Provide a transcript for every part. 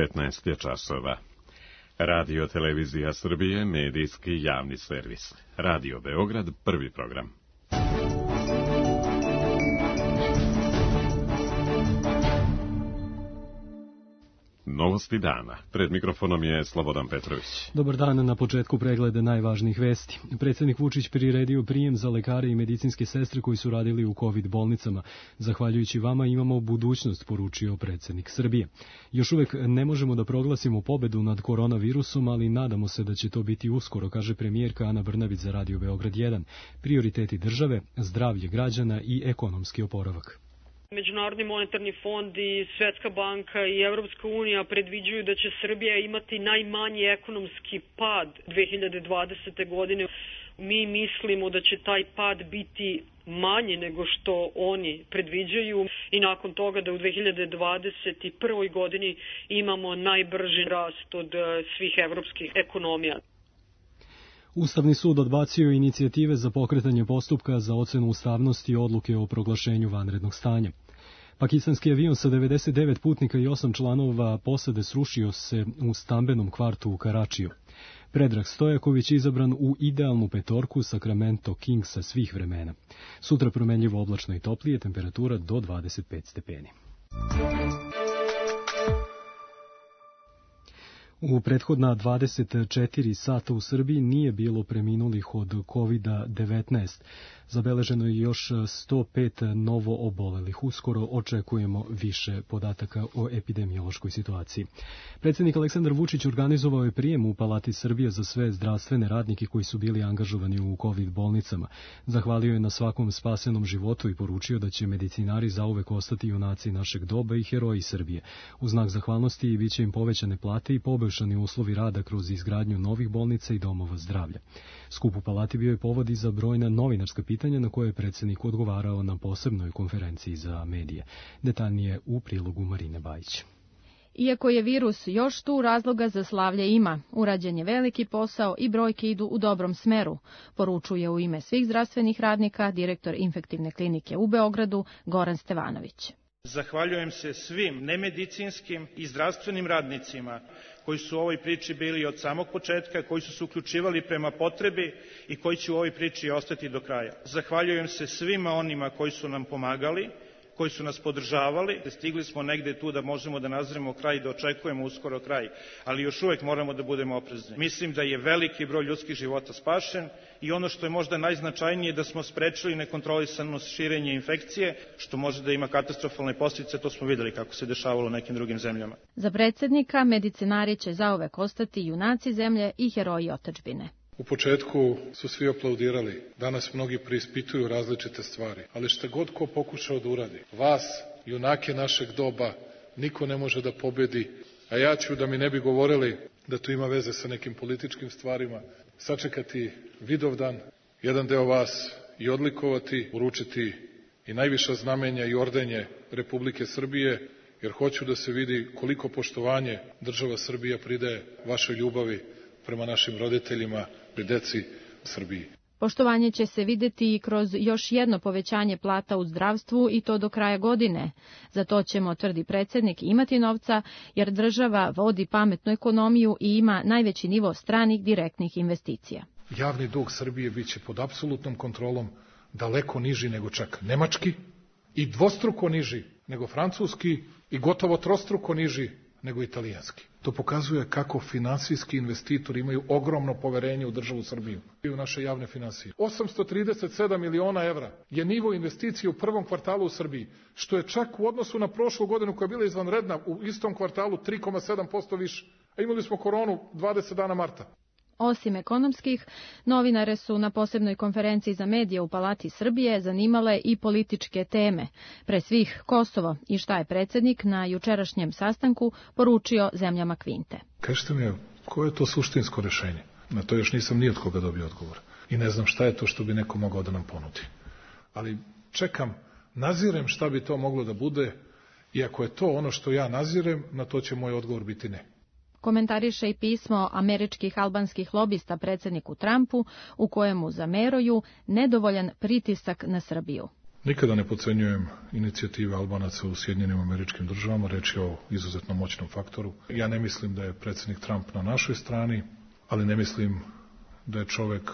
15 je časova. Radio Televizija Srbije, medijski javni servis. Radio Beograd, prvi program. Novosti dana. Pred mikrofonom je Slobodan Petrović. Dobar dan, na početku pregleda najvažnijih vesti. Predsjednik Vučić priredio prijem za lekare i medicinske sestre koji su radili u COVID bolnicama. Zahvaljujući vama imamo budućnost, poručio predsjednik Srbije. Još uvek ne možemo da proglasimo pobedu nad koronavirusom, ali nadamo se da će to biti uskoro, kaže premijerka Ana Brnabić za Radio Beograd 1. Prioriteti države, zdravlje građana i ekonomski oporavak. Međunarodni monetarni fond i Svetska banka i Evropska unija predviđuju da će Srbija imati najmanji ekonomski pad 2020. godine. Mi mislimo da će taj pad biti manji nego što oni predviđaju i nakon toga da u 2021. godini imamo najbrži rast od svih evropskih ekonomija. Ustavni sud odbacio inicijative za pokretanje postupka za ocenu ustavnosti odluke o proglašenju vanrednog stanja. Pakistanski avion sa 99 putnika i 8 članova posade srušio se u stambenom kvartu u Karačiju. Predrag Stojaković izabran u idealnu petorku Sacramento Kingsa svih vremena. Sutra promenljivo oblačno i toplije, temperatura do 25 stepeni. U prethodna 24 sata u Srbiji nije bilo preminulih od COVID-19. Zabeleženo je još 105 novo obolelih. Uskoro očekujemo više podataka o epidemiološkoj situaciji. Predsjednik Aleksandar Vučić organizovao je prijem u Palati Srbije za sve zdravstvene radnike koji su bili angažovani u COVID bolnicama. Zahvalio je na svakom spasenom životu i poručio da će medicinari zauvek ostati junaci našeg doba i heroji Srbije. U znak zahvalnosti biće im povećane plate i poboljšani uslovi rada kroz izgradnju novih bolnica i domova zdravlja. Skup u Palati bio je povod i za brojna novinarska pitanja na koje je predsjednik odgovarao na posebnoj konferenciji za medije. Detaljnije u prilogu Marine Bajić. Iako je virus još tu, razloga za slavlje ima. Urađen je veliki posao i brojke idu u dobrom smeru, poručuje u ime svih zdravstvenih radnika direktor infektivne klinike u Beogradu Goran Stevanović. Zahvaljujem se svim nemedicinskim i zdravstvenim radnicima koji su u ovoj priči bili od samog početka, koji su se uključivali prema potrebi i koji će u ovoj priči ostati do kraja. Zahvaljujem se svima onima koji su nam pomagali, koji su nas podržavali. Stigli smo negde tu da možemo da nazremo kraj i da očekujemo uskoro kraj, ali još uvek moramo da budemo oprezni. Mislim da je veliki broj ljudskih života spašen i ono što je možda najznačajnije da smo sprečili nekontrolisano širenje infekcije, što može da ima katastrofalne posljedice, to smo videli kako se dešavalo u nekim drugim zemljama. Za predsjednika medicinari će zauvek ostati junaci zemlje i heroji otadžbine. U početku su svi aplaudirali, danas mnogi preispituju različite stvari, ali šta god ko pokušao da uradi, vas, junake našeg doba, niko ne može da pobedi, a ja ću, da mi ne bi govorili da to ima veze sa nekim političkim stvarima, sačekati Vidovdan, jedan deo vas i odlikovati, uručiti i najviša znamenja i ordenje Republike Srbije, jer hoću da se vidi koliko poštovanje država Srbija pridaje vašoj ljubavi prema našim roditeljima i deci Srbiji. Poštovanje će se videti i kroz još jedno povećanje plata u zdravstvu i to do kraja godine. Za to ćemo, tvrdi predsjednik, imati novca jer država vodi pametnu ekonomiju i ima najveći nivo stranih direktnih investicija. Javni dug Srbije biće pod apsolutnom kontrolom, daleko niži nego čak nemački i dvostruko niži nego francuski i gotovo trostruko niži nego italijanski. To pokazuje kako finansijski investitori imaju ogromno poverenje u državu Srbiju i u naše javne finansije. 837 miliona evra je nivo investicije u prvom kvartalu u Srbiji, što je čak u odnosu na prošlu godinu koja je bila izvanredna u istom kvartalu 3,7% više. A imali smo koronu 20 dana marta. Osim ekonomskih, novinare su na posebnoj konferenciji za medije u Palati Srbije zanimale i političke teme. Pre svih Kosovo i šta je predsjednik na jučerašnjem sastanku poručio zemljama Kvinte. Kažete mi, koje je to suštinsko rešenje? Na to još nisam ni od koga dobio odgovor. I ne znam šta je to što bi neko mogao da nam ponudi. Ali čekam, nazirem šta bi to moglo da bude i ako je to ono što ja nazirem, na to će moj odgovor biti ne. Komentariše i pismo američkih albanskih lobista predsjedniku Trumpu u kojemu zameruju nedovoljan pritisak na Srbiju. Nikada ne podcenjujem inicijative Albanaca u Sjedinjenim Američkim Državama, reč je o izuzetno moćnom faktoru. Ja ne mislim da je predsjednik Trump na našoj strani, ali ne mislim da je čovek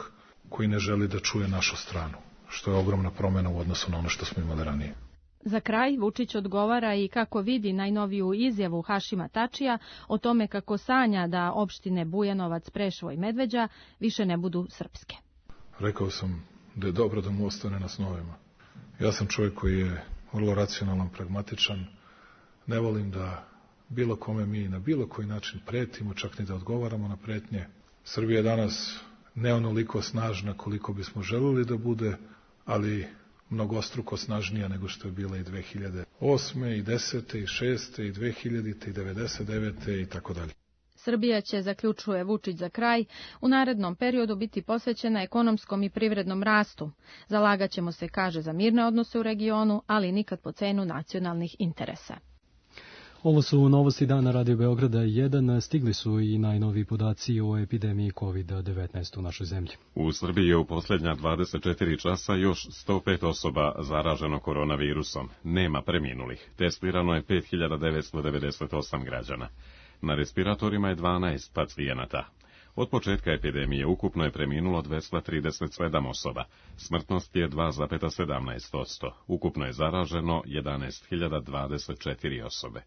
koji ne želi da čuje našu stranu, što je ogromna promjena u odnosu na ono što smo imali ranije. Za kraj Vučić odgovara i kako vidi najnoviju izjavu Hašima Tačija o tome kako sanja da opštine Bujanovac, Preševo i Medveđa više ne budu srpske. Rekao sam da je dobro da mu ostane na snovima. Ja sam čovjek koji je vrlo racionalan, pragmatičan. Ne volim da bilo kome mi na bilo koji način pretimo, čak ni da odgovaramo na pretnje. Srbija je danas ne onoliko snažna koliko bismo želeli da bude, ali mnogostruko snažnija nego što je bila i 2008. i 10. i 6. i 2000. i 99. i tako dalje. Srbija će, zaključuje Vučić za kraj, u narednom periodu biti posvećena ekonomskom i privrednom rastu. Zalagaćemo se, kaže, za mirne odnose u regionu, ali nikad po cenu nacionalnih interesa. Ovo su novosti dana Radio Beograda 1. Stigli su i najnoviji podaci o epidemiji COVID-19 u našoj zemlji. U Srbiji je u posljednja 24 časa još 105 osoba zaraženo koronavirusom. Nema preminulih. Testirano je 5998 građana. Na respiratorima je 12 pacijenata. Od početka epidemije ukupno je preminulo 237 osoba. Smrtnost je 2,17%. Ukupno je zaraženo 11.024 osobe.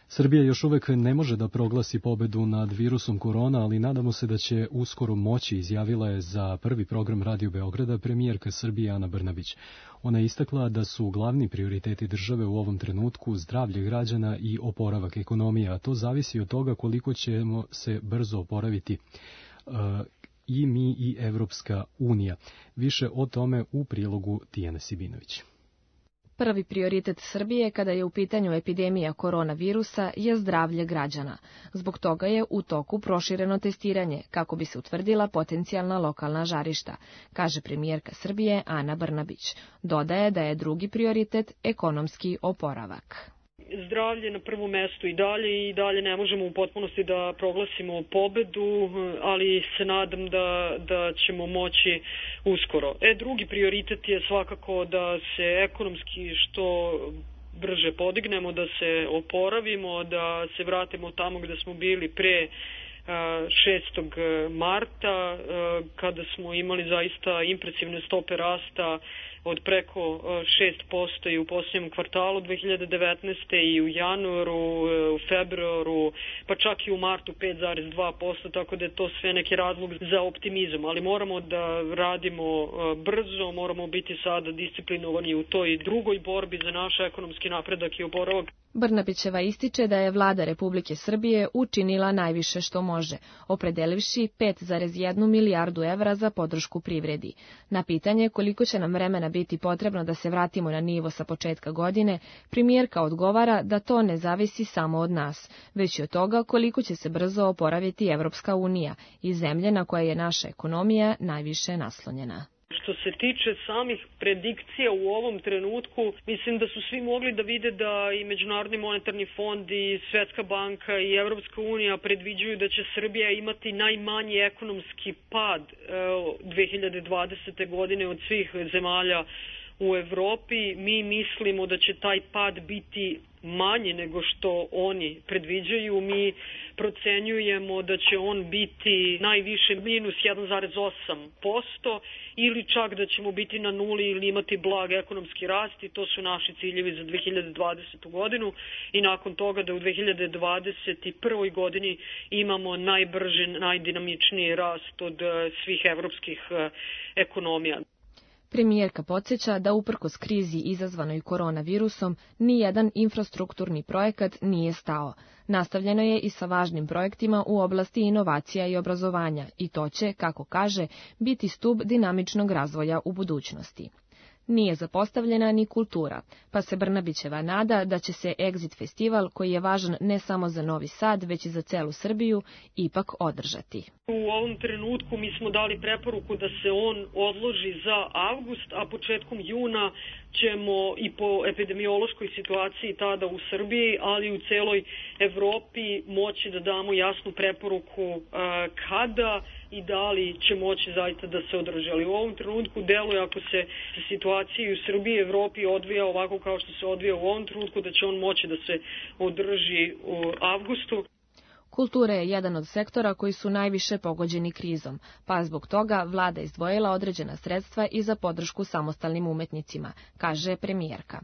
Srbija još uvek ne može da proglasi pobedu nad virusom korona, ali nadamo se da će uskoro moći, izjavila je za prvi program Radio Beograda premijerka Srbije Ana Brnabić. Ona je istakla da su glavni prioriteti države u ovom trenutku zdravlje građana i oporavak ekonomije, a to zavisi od toga koliko ćemo se brzo oporaviti i mi i Evropska unija. Više o tome u prilogu Tijane Sibinović. Prvi prioritet Srbije kada je u pitanju epidemija koronavirusa je zdravlje građana. Zbog toga je u toku prošireno testiranje kako bi se utvrdila potencijalna lokalna žarišta, kaže premijerka Srbije Ana Brnabić. Dodaje da je drugi prioritet ekonomski oporavak. Zdravlje na prvom mestu i dalje ne možemo u potpunosti da proglasimo pobedu, ali se nadam da ćemo moći uskoro. Drugi prioritet je svakako da se ekonomski što brže podignemo, da se oporavimo, da se vratimo tamo gde smo bili pre 6. marta, kada smo imali zaista impresivne stope rasta od preko 6% i u posljednjem kvartalu 2019. i u januaru, u februaru, pa čak i u martu 5,2%, tako da je to sve neki razlog za optimizam. Ali moramo da radimo brzo, moramo biti sada disciplinovani u toj drugoj borbi za naš ekonomski napredak i oporavak. Brnabićeva ističe da je vlada Republike Srbije učinila najviše što može, opredelivši 5,1 milijardu evra za podršku privredi. Na pitanje koliko će nam vremena biti potrebno da se vratimo na nivo sa početka godine, premijerka odgovara da to ne zavisi samo od nas, već i od toga koliko će se brzo oporaviti Evropska unija i zemlje na koje je naša ekonomija najviše naslonjena. Što se tiče samih predikcija u ovom trenutku, mislim da su svi mogli da vide da i Međunarodni monetarni fond i Svetska banka i Evropska unija predviđuju da će Srbija imati najmanji ekonomski pad 2020. godine od svih zemalja u Evropi. Mi mislimo da će taj pad biti manji nego što oni predviđaju. Mi procenjujemo da će on biti najviše minus 1,8% ili čak da ćemo biti na nuli ili imati blag ekonomski rast i to su naši ciljevi za 2020. godinu i nakon toga da u 2021. godini imamo najbrži, najdinamičniji rast od svih evropskih ekonomija. Premijerka podsjeća da uprkos krizi izazvanoj koronavirusom nijedan infrastrukturni projekat nije stao. Nastavljeno je i sa važnim projektima u oblasti inovacija i obrazovanja i to će, kako kaže, biti stub dinamičnog razvoja u budućnosti. Nije zapostavljena ni kultura, pa se Brnabićeva nada da će se Exit festival, koji je važan ne samo za Novi Sad, već i za celu Srbiju, ipak održati. U ovom trenutku mi smo dali preporuku da se on odloži za avgust, a početkom juna ćemo i po epidemiološkoj situaciji tada u Srbiji, ali i u celoj Evropi moći da damo jasnu preporuku kada i da li će moći zaista da se održi. Ali u ovom trenutku deluje, ako se situacija u Srbiji i Evropi odvija ovako kao što se odvija u ovom trenutku, da će on moći da se održi u avgustu. Kultura je jedan od sektora koji su najviše pogođeni krizom, pa zbog toga vlada izdvojila određena sredstva i za podršku samostalnim umetnicima, kaže premijerka.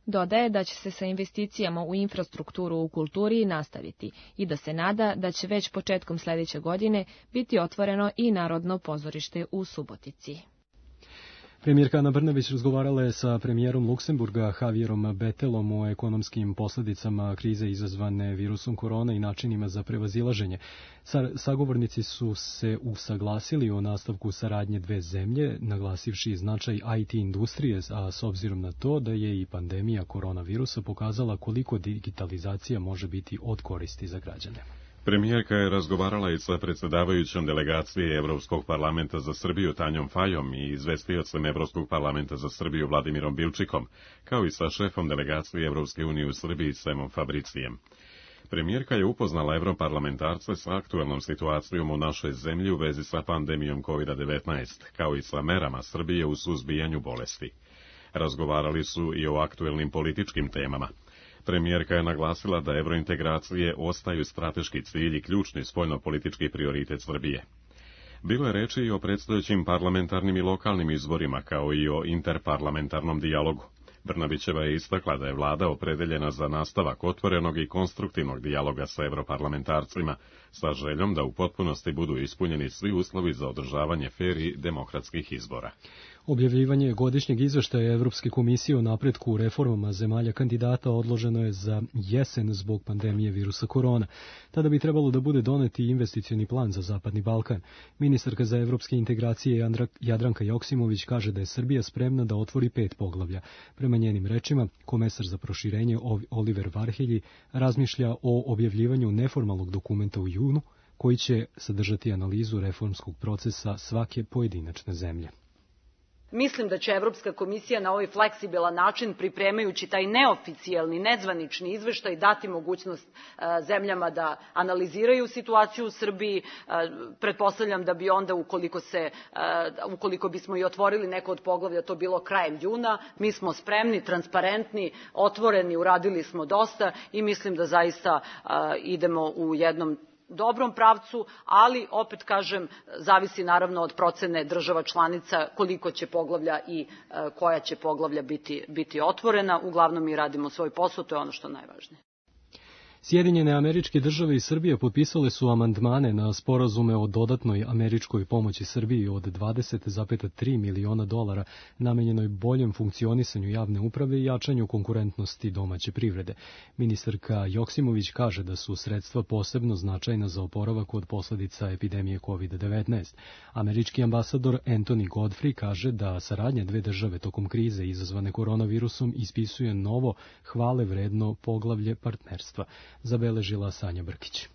Dodaje da će se sa investicijama u infrastrukturu u kulturi nastaviti i da se nada da će već početkom sledeće godine biti otvoreno i Narodno pozorište u Subotici. Premijerka Ana Brnabić razgovarala je sa premijerom Luksemburga Javierom Bettelom o ekonomskim posledicama krize izazvane virusom korona i načinima za prevazilaženje. Sagovornici su se usaglasili o nastavku saradnje dve zemlje, naglasivši značaj IT industrije, a s obzirom na to da je i pandemija koronavirusa pokazala koliko digitalizacija može biti od koristi za građane. Premijerka je razgovarala i sa predsjedavajućom delegacije Evropskog parlamenta za Srbiju Tanjom Fajom i izvestiocem Evropskog parlamenta za Srbiju Vladimirom Bilčikom, kao i sa šefom delegacije Evropske unije u Srbiji Semom Fabricijem. Premijerka je upoznala evroparlamentarce sa aktuelnom situacijom u našoj zemlji u vezi sa pandemijom COVID-19, kao i sa merama Srbije u suzbijanju bolesti. Razgovarali su i o aktuelnim političkim temama. Premijerka je naglasila da evrointegracije ostaju strateški cilj i ključni spoljnopolitički prioritet Srbije. Bilo je reči i o predstojećim parlamentarnim i lokalnim izborima, kao i o interparlamentarnom dijalogu. Brnabićeva je istakla da je vlada opredeljena za nastavak otvorenog i konstruktivnog dijaloga sa evroparlamentarcima, sa željom da u potpunosti budu ispunjeni svi uslovi za održavanje fer i demokratskih izbora. Objavljivanje godišnjeg izveštaja Evropske komisije o napretku u reformama zemalja kandidata odloženo je za jesen zbog pandemije virusa korona. Tada bi trebalo da bude doneti investicioni plan za Zapadni Balkan. Ministarka za evropske integracije Jadranka Joksimović kaže da je Srbija spremna da otvori 5 poglavlja. Prema njenim rečima, komesar za proširenje Oliver Varhelji razmišlja o objavljivanju neformalnog dokumenta u junu, koji će sadržati analizu reformskog procesa svake pojedinačne zemlje. Mislim da će Evropska komisija na ovaj fleksibilan način, pripremajući taj neoficijalni, nezvanični izveštaj, dati mogućnost zemljama da analiziraju situaciju u Srbiji. Pretpostavljam da bi onda, ukoliko bismo i otvorili neko od poglavlja, to bilo krajem juna. Mi smo spremni, transparentni, otvoreni, uradili smo dosta i mislim da zaista idemo u jednom dobrom pravcu, ali opet kažem, zavisi naravno od procene država članica koliko će poglavlja i koja će poglavlja biti otvorena. Uglavnom mi radimo svoj posao, to je ono što je najvažnije. Sjedinjene Američke Države i Srbija potpisale su amandmane na sporazume o dodatnoj američkoj pomoći Srbiji od $20,3 miliona namenjenoj boljem funkcionisanju javne uprave i jačanju konkurentnosti domaće privrede. Ministarka Joksimović kaže da su sredstva posebno značajna za oporavak od posledica epidemije COVID-19. Američki ambasador Anthony Godfrey kaže da saradnja dve države tokom krize izazvane koronavirusom ispisuje novo hvale vredno poglavlje partnerstva. Zabeležila Sanja Brkić.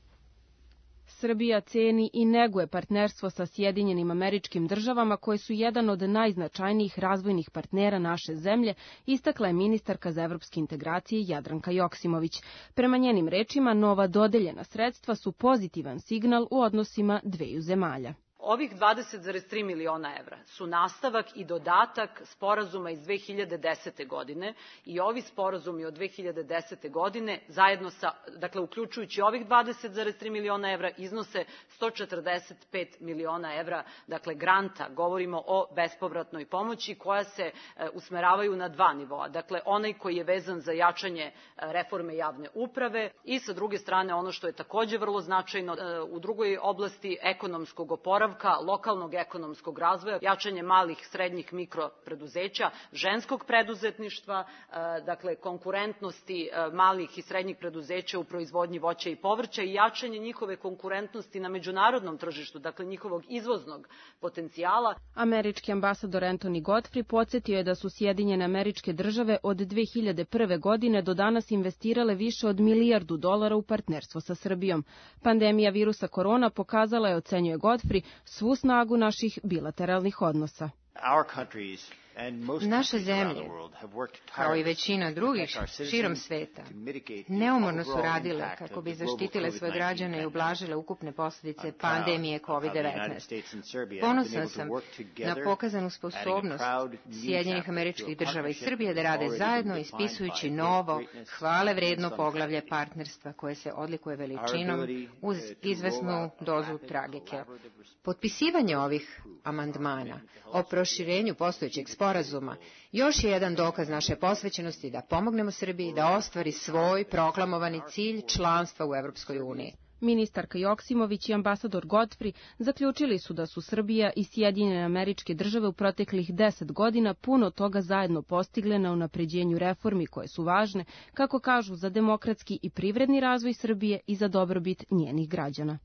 Srbija ceni i neguje partnerstvo sa Sjedinjenim Američkim Državama, koje su jedan od najznačajnijih razvojnih partnera naše zemlje, istakla je ministarka za evropske integracije Jadranka Joksimović. Prema njenim rečima, nova dodeljena sredstva su pozitivan signal u odnosima dveju zemalja. Ovih 20,3 miliona evra su nastavak i dodatak sporazuma iz 2010. godine i ovi sporazumi od 2010. godine zajedno sa, dakle uključujući ovih 20,3 miliona evra, iznose 145 miliona evra, dakle granta, govorimo o bespovratnoj pomoći koja se usmeravaju na dva nivoa. Dakle, onaj koji je vezan za jačanje reforme javne uprave i sa druge strane ono što je takođe vrlo značajno u drugoj oblasti ekonomskog oporavka, lokalnog ekonomskog razvoja, jačanje malih, srednjih, mikropreduzeća, ženskog preduzetništva, dakle konkurentnosti malih i srednjih preduzeća u proizvodnji voća i povrća i jačanje njihove konkurentnosti na međunarodnom tržištu, dakle njihovog izvoznog potencijala. Američki ambasador Anthony Godfrey podsjetio je da su Sjedinjene Američke Države od 2001. godine do danas investirale više od $1 milijardu u partnerstvo sa Srbijom. Pandemija virusa korona pokazala je, ocenjuje Godfrey, svu snagu naših bilateralnih odnosa. Naše zemlje, kao i većina drugih širom sveta, neumorno su radile kako bi zaštitile svoje građane i ublažile ukupne posljedice pandemije COVID-19. Ponosan sam na pokazanu sposobnost Sjedinjenih Američkih Država i Srbije da rade zajedno ispisujući novo, hvale vredno poglavlje partnerstva koje se odlikuje veličinom uz izvesnu dozu tragike. Potpisivanje ovih amandmana o proširenju postojećeg sporazuma još je jedan dokaz naše posvećenosti da pomognemo Srbiji da ostvari svoj proklamovani cilj članstva u Evropskoj uniji. Ministarka Joksimović i ambasador Godfrey zaključili su da su Srbija i Sjedinjene Američke Države u proteklih 10 godina puno toga zajedno postigle na unapređenju reformi koje su važne, kako kažu, za demokratski i privredni razvoj Srbije i za dobrobit njenih građana.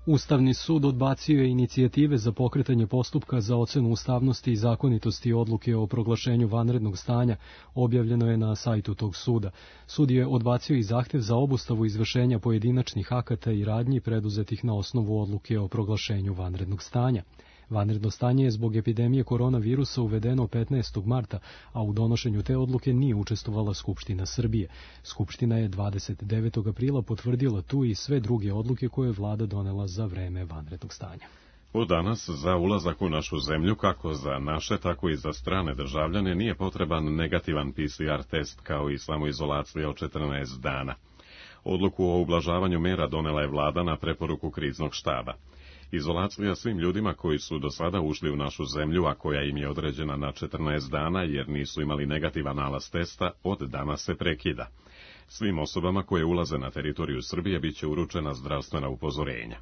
Ustavni sud odbacio je inicijative za pokretanje postupka za ocenu ustavnosti i zakonitosti odluke o proglašenju vanrednog stanja, objavljeno je na sajtu tog suda. Sud je odbacio i zahtev za obustavu izvršenja pojedinačnih akata i radnji preduzetih na osnovu odluke o proglašenju vanrednog stanja. Vanredno stanje je zbog epidemije koronavirusa uvedeno 15. marta, a u donošenju te odluke nije učestvovala Skupština Srbije. Skupština je 29. aprila potvrdila tu i sve druge odluke koje je vlada donela za vreme vanrednog stanja. Od danas za ulazak u našu zemlju, kako za naše, tako i za strane državljane, nije potreban negativan PCR test kao i samoizolacija od 14 dana. Odluku o ublažavanju mera donela je vlada na preporuku kriznog štaba. Izolacija svim ljudima koji su do sada ušli u našu zemlju, a koja im je određena na 14 dana jer nisu imali negativan nalaz testa, od danas se prekida. Svim osobama koje ulaze na teritoriju Srbije biće uručena zdravstvena upozorenja.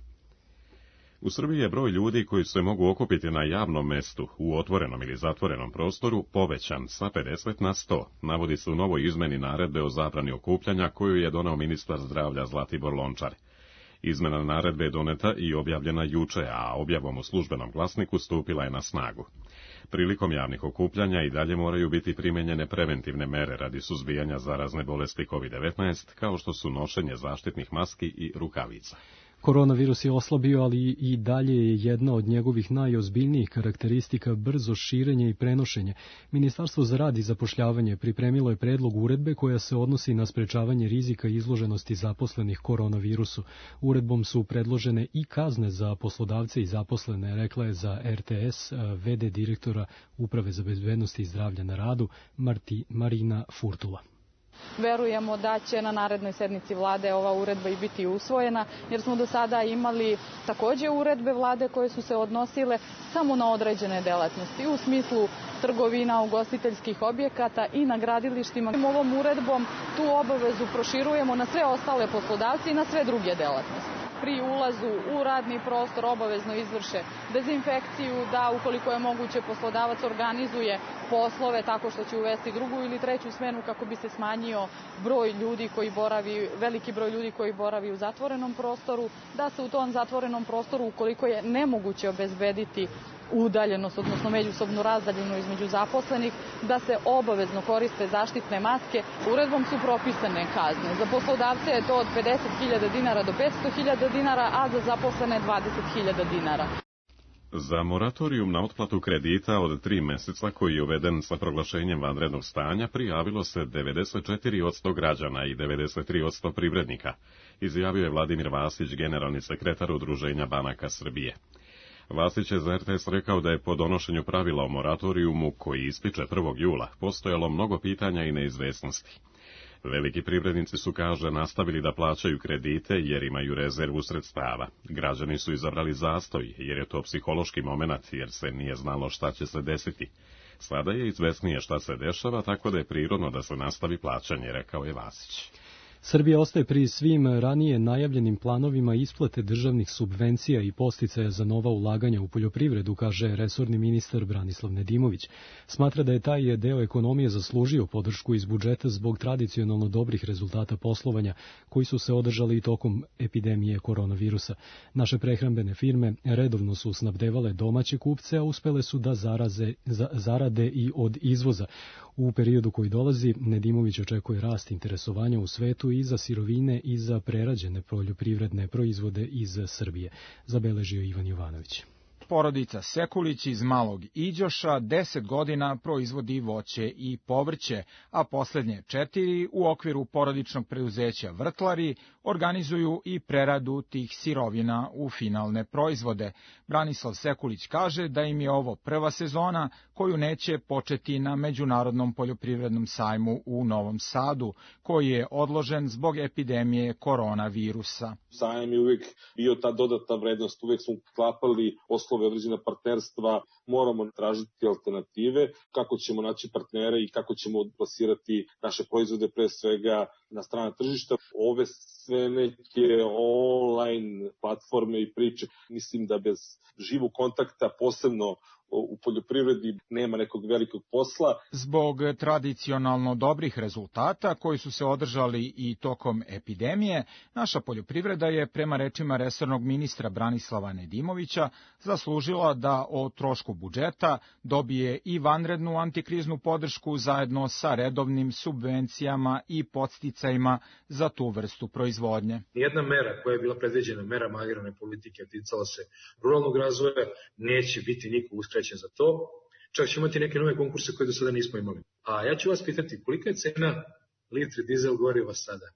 U Srbiji je broj ljudi koji se mogu okupiti na javnom mestu, u otvorenom ili zatvorenom prostoru, povećan sa 50 na 100, navodi se u novoj izmeni naredbe o zabrani okupljanja koju je doneo ministar zdravlja Zlatibor Lončar. Izmena naredbe je doneta i objavljena juče, a objavom u službenom glasniku stupila je na snagu. Prilikom javnih okupljanja i dalje moraju biti primenjene preventivne mere radi suzbijanja zarazne bolesti COVID-19, kao što su nošenje zaštitnih maski i rukavica. Koronavirus je oslabio, ali i dalje je jedna od njegovih najozbiljnijih karakteristika brzo širenje i prenošenje. Ministarstvo za rad i zapošljavanje pripremilo je predlog uredbe koja se odnosi na sprečavanje rizika i izloženosti zaposlenih koronavirusu. Uredbom su predložene i kazne za poslodavce i zaposlene, rekla je za RTS VD direktora Uprave za bezbednost i zdravlje na radu Marina Furtula. Verujemo da će na narednoj sednici vlade ova uredba i biti usvojena, jer smo do sada imali takođe uredbe vlade koje su se odnosile samo na određene delatnosti, u smislu trgovina, ugostiteljskih objekata i na gradilištima. Ovom uredbom tu obavezu proširujemo na sve ostale poslodavce i na sve druge delatnosti. Pri ulazu u radni prostor obavezno izvrše dezinfekciju, da ukoliko je moguće poslodavac organizuje poslove tako što će uvesti drugu ili treću smenu kako bi se smanjio broj ljudi koji boravi, veliki broj ljudi koji boravi u zatvorenom prostoru, da se u tom zatvorenom prostoru ukoliko je nemoguće obezbediti udaljenost, odnosno međusobnu razdaljinu između zaposlenih, da se obavezno koriste zaštitne maske. Uredbom su propisane kazne. Za poslodavce je to od 50.000 dinara do 500.000 dinara, a za zaposlene 20.000 dinara. Za moratorijum na otplatu kredita od 3 meseca koji je uveden sa proglašenjem vanrednog stanja prijavilo se 94% građana i 93% privrednika, izjavio je Vladimir Vasić, generalni sekretar Udruženja banaka Srbije. Vasić je za RTS rekao da je po donošenju pravila o moratorijumu, koji ističe 1. jula, postojalo mnogo pitanja i neizvesnosti. Veliki privrednici su, kaže, nastavili da plaćaju kredite jer imaju rezervu sredstava. Građani su izabrali zastoj jer je to psihološki momenat jer se nije znalo šta će se desiti. Sada je izvesnije šta se dešava, tako da je prirodno da se nastavi plaćanje, rekao je Vasić. Srbija ostaje pri svim ranije najavljenim planovima isplate državnih subvencija i podsticaja za nova ulaganja u poljoprivredu, kaže resorni ministar Branislav Nedimović. Smatra da je taj deo ekonomije zaslužio podršku iz budžeta zbog tradicionalno dobrih rezultata poslovanja koji su se održali i tokom epidemije koronavirusa. Naše prehrambene firme redovno su snabdevale domaće kupce, a uspele su da zarade i od izvoza. U periodu koji dolazi, Nedimović očekuje rast interesovanja u svetu i za sirovine i za prerađene poljoprivredne proizvode iz Srbije, zabeležio Ivan Jovanović. Porodica Sekulić iz Malog Iđoša 10 godina proizvodi voće i povrće, a poslednje 4 u okviru porodičnog preduzeća Vrtlari organizuju i preradu tih sirovina u finalne proizvode. Branislav Sekulić kaže da im je ovo prva sezona koju neće početi na Međunarodnom poljoprivrednom sajmu u Novom Sadu, koji je odložen zbog epidemije koronavirusa. Sajam je uvijek bio ta dodatna vrednost, uvijek smo klapali poslove, određena partnerstva, moramo tražiti alternative, kako ćemo naći partnere i kako ćemo plasirati naše proizvode pre svega na strana tržišta. Ove sve neke online platforme i priče, mislim da bez živog kontakta, posebno u poljoprivredi, nema nekog velikog posla. Zbog tradicionalno dobrih rezultata koji su se održali i tokom epidemije, naša poljoprivreda je, prema rečima resornog ministra Branislava Nedimovića, zaslužila da o trošku budžeta dobije i vanrednu antikriznu podršku zajedno sa redovnim subvencijama i podsticajima za tu vrstu proizvodnje. Nijedna mera koja je bila predviđena merama agrarne politike ticala se ruralnog razvoja, neće biti niko uskraćen za to. Čak ćemo imati neke nove konkurse koje do sada nismo imali. A ja ću vas pitati, kolika je cena litre dizel goriva sada?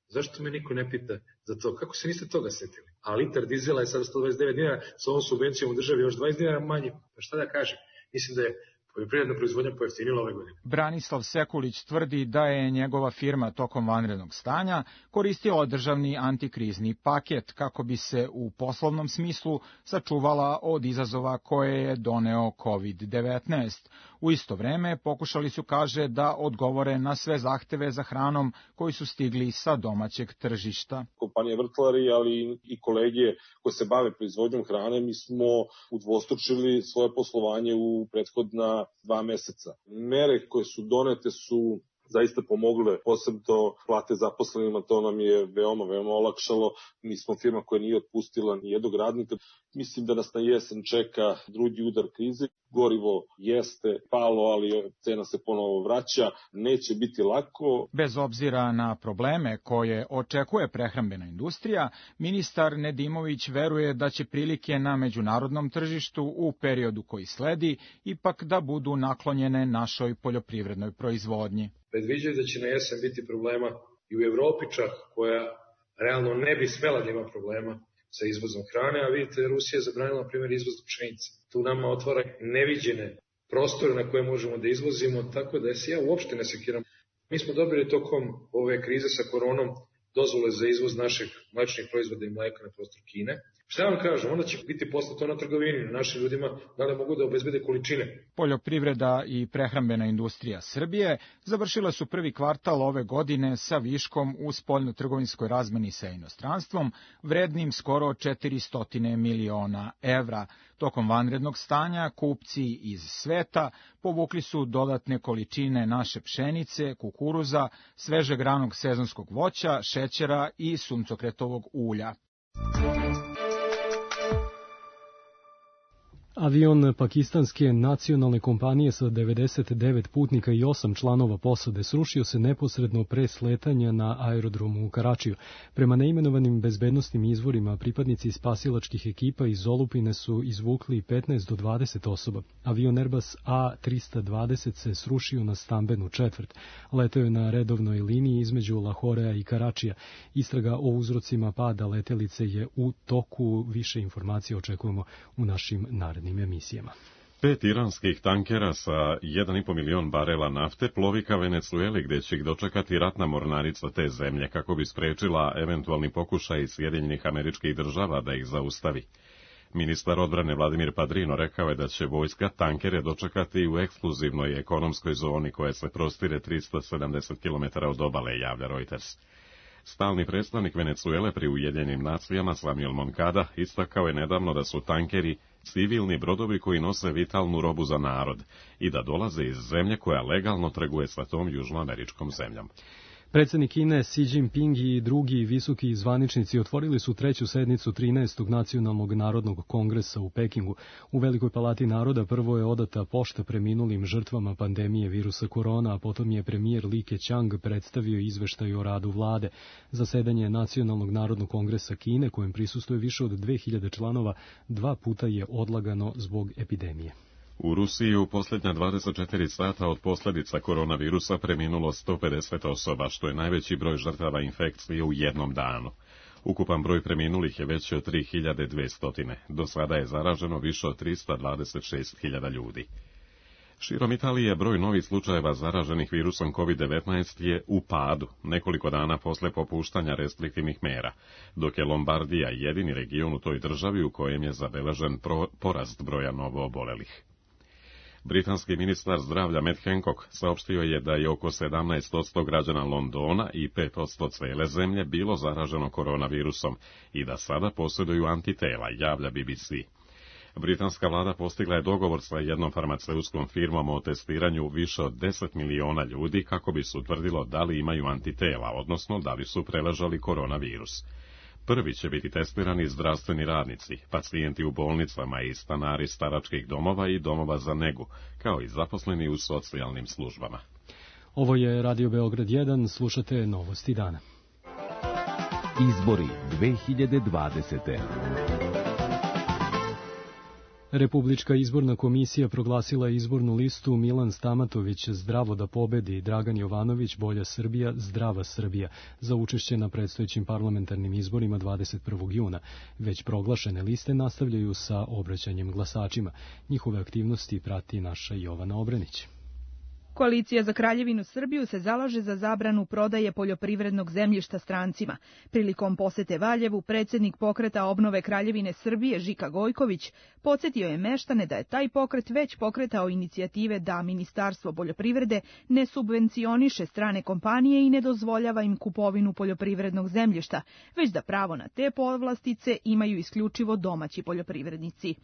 Zašto me niko ne pita za to? Kako se niste toga setili? A litar dizela je sada 129 dinara, sa ovom subvencijom u državi još 20 dinara manje. Pa šta da kažem? Mislim da je poljoprivredna proizvodnja pojeftinila ove godine. Branislav Sekulić tvrdi da je njegova firma tokom vanrednog stanja koristila državni antikrizni paket kako bi se u poslovnom smislu sačuvala od izazova koje je doneo COVID-19. U isto vreme pokušali su, kaže, da odgovore na sve zahteve za hranom koji su stigli sa domaćeg tržišta. Kompanija Vrtlari, ali i kolege koji se bave proizvodnjom hrane, mi smo udvostručili svoje poslovanje u prethodna 2 meseca. Mere koje su donete su zaista pomogle, posebno plate zaposlenima, to nam je veoma olakšalo. Mi smo firma koja nije otpustila ni jednog radnika. Mislim da nas na jesen čeka drugi udar krize. Gorivo jeste palo, ali cena se ponovo vraća. Neće biti lako. Bez obzira na probleme koje očekuje prehrambena industrija, ministar Nedimović veruje da će prilike na međunarodnom tržištu u periodu koji sledi ipak da budu naklonjene našoj poljoprivrednoj proizvodnji. Predviđaju da će na jesen biti problema i u Evropi čak, koja realno ne bi smela da ima problema sa izvozom hrane, a vidite, Rusija je zabranila, na primjer, izvoz pšenice. Tu nama otvara neviđene prostore na koje možemo da izvozimo, tako da se ja uopšte ne sekiram. Mi smo dobili tokom ove krize sa koronom dozvole za izvoz naših mlečnih proizvoda i mleka na prostor Kine. Šta vam kažem, onda će biti poslato na trgovini, našim ljudima da li mogu da obezbede količine. Poljoprivreda i prehrambena industrija Srbije završile su prvi kvartal ove godine sa viškom u spoljno-trgovinskoj razmeni sa inostranstvom, vrednim skoro 400 miliona evra. Tokom vanrednog stanja kupci iz sveta povukli su dodatne količine naše pšenice, kukuruza, svežeg ranog sezonskog voća, šećera i suncokretovog ulja. Avion pakistanske nacionalne kompanije sa 99 putnika i 8 članova posade srušio se neposredno pre sletanja na aerodromu u Karačiju. Prema neimenovanim bezbednosnim izvorima, pripadnici spasilačkih ekipa iz olupine su izvukli 15 do 20 osoba. Avion Airbus A320 se srušio na stambenu četvrt. Leteo je na redovnoj liniji između Lahorea i Karačija. Istraga o uzrocima pada letelice je u toku. Više informacija očekujemo u našim narednim emisijama. 5 iranskih tankera sa 1,5 milion barela nafte plovi ka Venecueli, gde će ih dočekati ratna mornarica te zemlje kako bi sprečila eventualni pokušaj Sjedinjenih Američkih Država da ih zaustavi. Ministar odbrane Vladimir Padrino rekao je da će vojska tankere dočekati u ekskluzivnoj ekonomskoj zoni koja se prostire 370 km od obale, javlja Reuters. Stalni predstavnik Venecuele pri Ujedinjenim nacijama Samuel Moncada istakao je nedavno da su tankeri civilni brodovi koji nose vitalnu robu za narod i da dolaze iz zemlje koja legalno trguje sa tom južnoameričkom zemljom. Predsjednik Kine Xi Jinping i drugi visoki zvaničnici otvorili su treću sednicu 13. Nacionalnog narodnog kongresa u Pekingu. U Velikoj palati naroda prvo je odata pošta preminulim žrtvama pandemije virusa korona, a potom je premijer Li Keqiang predstavio izveštaj o radu vlade. Zasedanje Nacionalnog narodnog kongresa Kine, kojem prisustuje više od 2000 članova, 2 puta je odlagano zbog epidemije. U Rusiji u posljednja 24 sata od posljedica koronavirusa preminulo 150 osoba, što je najveći broj žrtava infekcije u jednom danu. Ukupan broj preminulih je veći od 3200. Do sada je zaraženo više od 326.000 ljudi. Širom Italije broj novih slučajeva zaraženih virusom COVID-19 je u padu, nekoliko dana posle popuštanja restriktivnih mera, dok je Lombardija jedini region u toj državi u kojem je zabeležen porast broja novoobolelih. Britanski ministar zdravlja Matt Hancock saopštio je da je oko 17% građana Londona i 5% cele zemlje bilo zaraženo koronavirusom i da sada posjeduju antitela, javlja BBC. Britanska vlada postigla je dogovor sa jednom farmaceutskom firmom o testiranju više od 10 miliona ljudi kako bi se utvrdilo da li imaju antitela, odnosno da li su preležali koronavirus. Prvi će biti testirani zdravstveni radnici, pacijenti u bolnicama i stanari staračkih domova i domova za negu, kao i zaposleni u socijalnim službama. Ovo je Radio Beograd 1, slušate Novosti dana. Izbori 2020. Republička izborna komisija proglasila izbornu listu Milan Stamatović Zdravo da pobedi, Dragan Jovanović Bolja Srbija, Zdrava Srbija za učešće na predstojećim parlamentarnim izborima 21. juna. Već proglašene liste nastavljaju sa obraćanjem glasačima. Njihove aktivnosti prati naša Jovana Obrenić. Koalicija za Kraljevinu Srbiju se zalaže za zabranu prodaje poljoprivrednog zemljišta strancima. Prilikom posete Valjevu, predsjednik pokreta obnove Kraljevine Srbije Žika Gojković podsjetio je meštane da je taj pokret već pokretao inicijative da Ministarstvo poljoprivrede ne subvencioniše strane kompanije i ne dozvoljava im kupovinu poljoprivrednog zemljišta, već da pravo na te povlastice imaju isključivo domaći poljoprivrednici.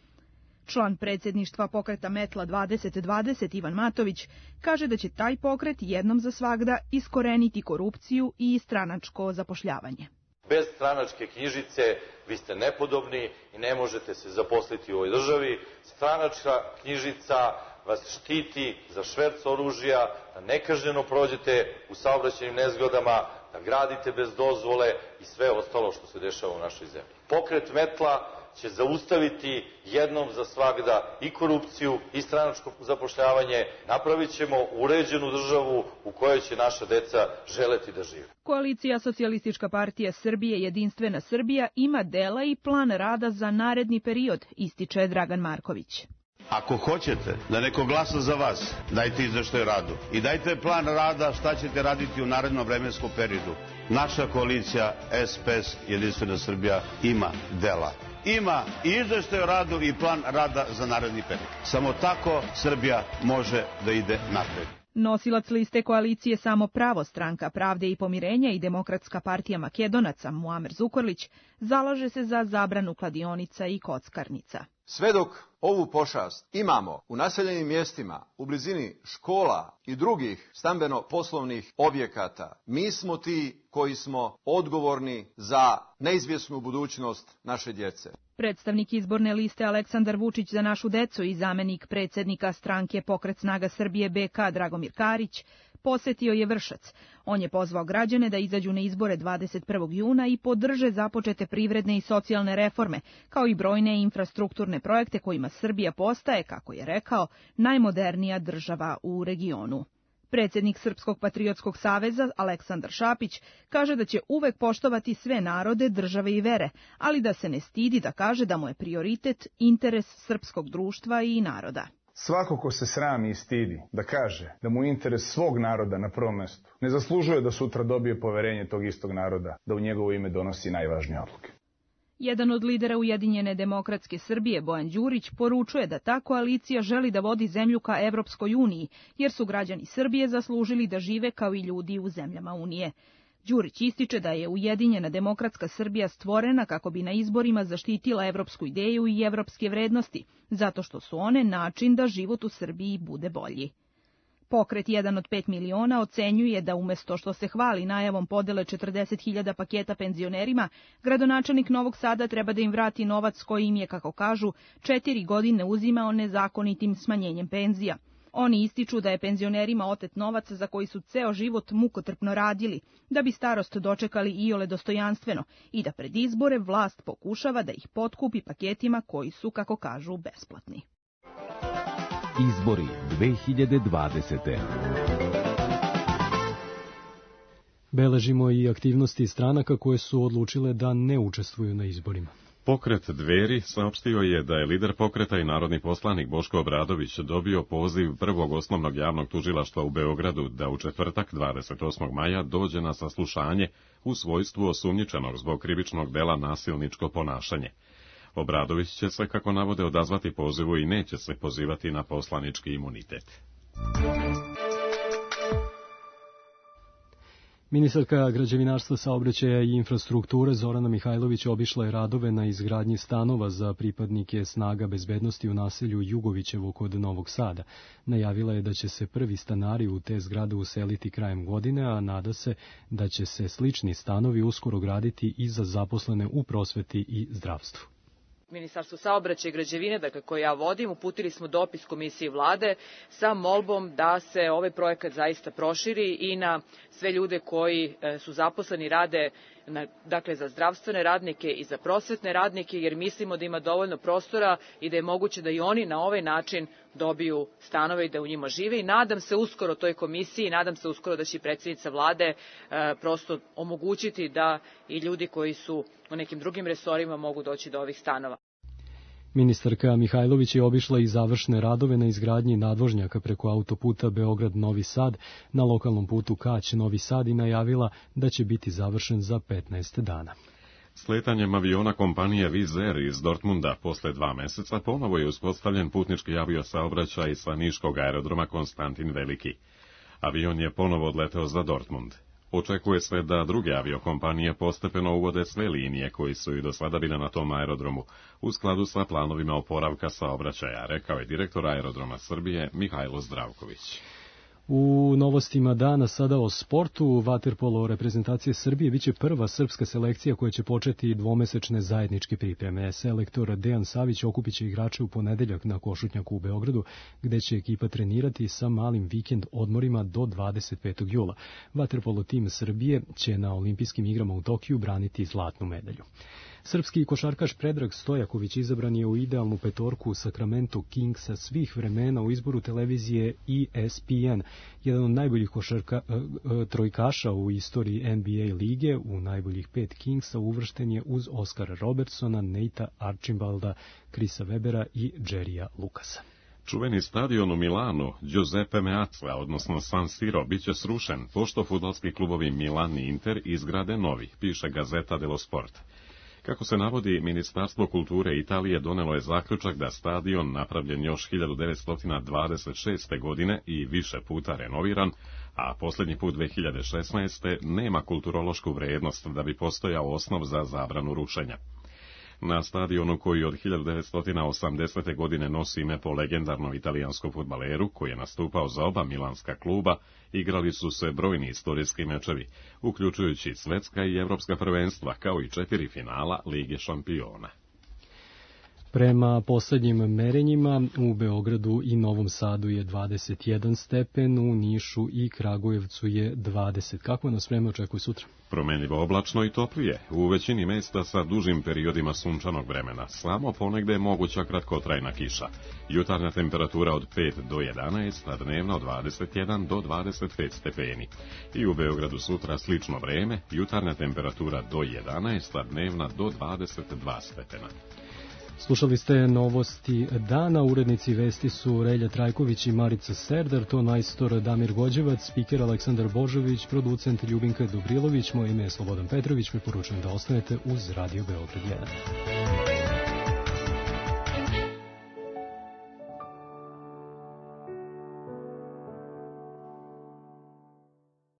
Član predsjedništva pokreta Metla 2020 Ivan Matović kaže da će taj pokret jednom za svagda iskoreniti korupciju i stranačko zapošljavanje. Bez stranačke knjižice vi ste nepodobni i ne možete se zaposliti u ovoj državi. Stranačka knjižica vas štiti za šverc oružja, da nekažnjeno prođete u saobraćajnim nezgodama, da gradite bez dozvole i sve ostalo što se dešava u našoj zemlji. Pokret Metla će zaustaviti jednom za svagda i korupciju i stranačko zapošljavanje. Napravit ćemo uređenu državu u kojoj će naša deca želeti da žive. Koalicija Socijalistička partija Srbije Jedinstvena Srbija ima dela i plan rada za naredni period, ističe Dragan Marković. Ako hoćete da neko glasa za vas, dajte izveštaj o radu i dajte plan rada šta ćete raditi u narednom vremenskom periodu. Naša koalicija SPS Jedinstvena Srbija ima dela. Ima i izveštaj o radu i plan rada za naredni period. Samo tako Srbija može da ide napred. Nosilac liste koalicije Samo pravo, Stranka pravde i pomirenja i Demokratska partija Makedonaca Muamer Zukorlić zalaže se za zabranu kladionica i kockarnica. Sve dok ovu pošast imamo u naseljenim mjestima, u blizini škola i drugih stambeno-poslovnih objekata, mi smo ti koji smo odgovorni za neizvjesnu budućnost naše djece. Predstavnik izborne liste Aleksandar Vučić za našu decu i zamenik predsjednika stranke Pokret snaga Srbije BK Dragomir Karić posetio je Vršac. On je pozvao građane da izađu na izbore 21. juna i podrže započete privredne i socijalne reforme, kao i brojne infrastrukturne projekte kojima Srbija postaje, kako je rekao, najmodernija država u regionu. Predsjednik Srpskog patriotskog saveza Aleksandar Šapić kaže da će uvek poštovati sve narode, države i vere, ali da se ne stidi da kaže da mu je prioritet interes srpskog društva i naroda. Svako ko se srami i stidi da kaže da mu je interes svog naroda na prvom mestu, ne zaslužuje da sutra dobije poverenje tog istog naroda, da u njegovo ime donosi najvažnije odluke. Jedan od lidera Ujedinjene demokratske Srbije, Bojan Đurić, poručuje da ta koalicija želi da vodi zemlju ka Evropskoj uniji, jer su građani Srbije zaslužili da žive kao i ljudi u zemljama Unije. Đurić ističe da je Ujedinjena demokratska Srbija stvorena kako bi na izborima zaštitila evropsku ideju i evropske vrednosti, zato što su one način da život u Srbiji bude bolji. Pokret 1 od 5 miliona ocenjuje da umesto što se hvali najavom podele 40.000 paketa penzionerima, gradonačelnik Novog Sada treba da im vrati novac koji im je, kako kažu, 4 godine uzimao nezakonitim smanjenjem penzija. Oni ističu da je penzionerima otet novac za koji su ceo život mukotrpno radili, da bi starost dočekali iole dostojanstveno i da pred izbore vlast pokušava da ih potkupi paketima koji su, kako kažu, besplatni. Izbori 2020. Beležimo i aktivnosti stranaka koje su odlučile da ne učestvuju na izborima. Pokret Dveri saopštio je da je lider pokreta i narodni poslanik Boško Obradović dobio poziv prvog osnovnog javnog tužilaštva u Beogradu da u četvrtak 28. maja dođe na saslušanje u svojstvu osumnjičenog zbog krivičnog dela nasilničko ponašanje. Obradović će se, kako navode, odazvati pozivu i neće se pozivati na poslanički imunitet. Ministarka građevinarstva, saobraćaja i infrastrukture Zorana Mihajlović obišla je radove na izgradnji stanova za pripadnike snaga bezbednosti u naselju Jugovićevo kod Novog Sada. Najavila je da će se prvi stanari u te zgrade useliti krajem godine, a nada se da će se slični stanovi uskoro graditi i za zaposlene u prosveti i zdravstvu. Ministarstvo saobraćaja i građevine, dakle koje ja vodim, uputili smo dopis Komisiji vlade sa molbom da se ovaj projekat zaista proširi i na sve ljude koji su zaposleni, rade dakle za zdravstvene radnike i za prosvetne radnike, jer mislimo da ima dovoljno prostora i da je moguće da i oni na ovaj način dobiju stanove i da u njima žive. I nadam se uskoro toj komisiji, nadam se uskoro da će predsjednica vlade prosto omogućiti da i ljudi koji su u nekim drugim resorima mogu doći do ovih stanova. Ministarka Mihajlović je obišla i završne radove na izgradnji nadvožnjaka preko autoputa Beograd-Novi Sad na lokalnom putu Kać-Novi Sad i najavila da će biti završen za 15 dana. Sletanjem aviona kompanije Wizz Air iz Dortmunda posle 2 meseca ponovo je uspostavljen putnički aviosaobraćaj sa niškog aerodroma Konstantin Veliki. Avion je ponovo odleteo za Dortmund. Očekuje se da druge aviokompanije postepeno uvode sve linije koji su i do sada bile na tom aerodromu, u skladu sa planovima oporavka saobraćaja, rekao je direktor Aerodroma Srbije Mihajlo Zdravković. U novostima dana sada o sportu, vaterpolo reprezentacije Srbije biće prva srpska selekcija koja će početi dvomesečne zajedničke pripreme. Selektor Dejan Savić okupiće igrače u ponedeljak na Košutnjaku u Beogradu, gde će ekipa trenirati sa malim vikend odmorima do 25. jula. Vaterpolo tim Srbije će na olimpijskim igrama u Tokiju braniti zlatnu medalju. Srpski košarkaš Predrag Stojaković izabran je u idealnu petorku Sacramento Kingsa svih vremena u izboru televizije ESPN. Jedan od najboljih trojkaša u istoriji NBA lige, u najboljih 5 Kingsa uvršten je uz Oskara Robertsona, Neita Archimbalda, Chrisa Webera i Jerrya Lucasa. Čuveni stadion u Milanu, Giuseppe Meazza, odnosno San Siro, biće srušen, pošto fudbalski klubovi Milan i Inter izgrade novi, piše Gazeta dello Sport. Kako se navodi, Ministarstvo kulture Italije donelo je zaključak da stadion, napravljen još 1926. godine i više puta renoviran, a posljednji put 2016. nema kulturološku vrednost da bi postojao osnov za zabranu rušenja. Na stadionu koji od 1980. godine nosi ime po legendarnom italijanskom fudbaleru, koji je nastupao za oba milanska kluba, igrali su se brojni istorijski mečevi, uključujući svetska i evropska prvenstva, kao i 4 finala Lige šampiona. Prema poslednjim merenjima u Beogradu i Novom Sadu je 21 stepen, u Nišu i Kragujevcu je 20. Kako nas vreme očekuje sutra? Promenljivo oblačno i toplije, u većini mesta sa dužim periodima sunčanog vremena, samo ponegde je moguća kratkotrajna kiša. Jutarnja temperatura od 5 do 11, a dnevna od 21 do 25 stepeni. I u Beogradu sutra slično vreme, jutarnja temperatura do 11, a dnevna do 22 stepena. Slušali ste novosti dana, urednici vesti su Relja Trajković i Marica Serdar, ton majstor Damir Gođevac, spiker Aleksandar Božović, producent Ljubinka Dobrilović, moje ime je Slobodan Petrović, preporučujem da ostanete uz Radio Beograd 1.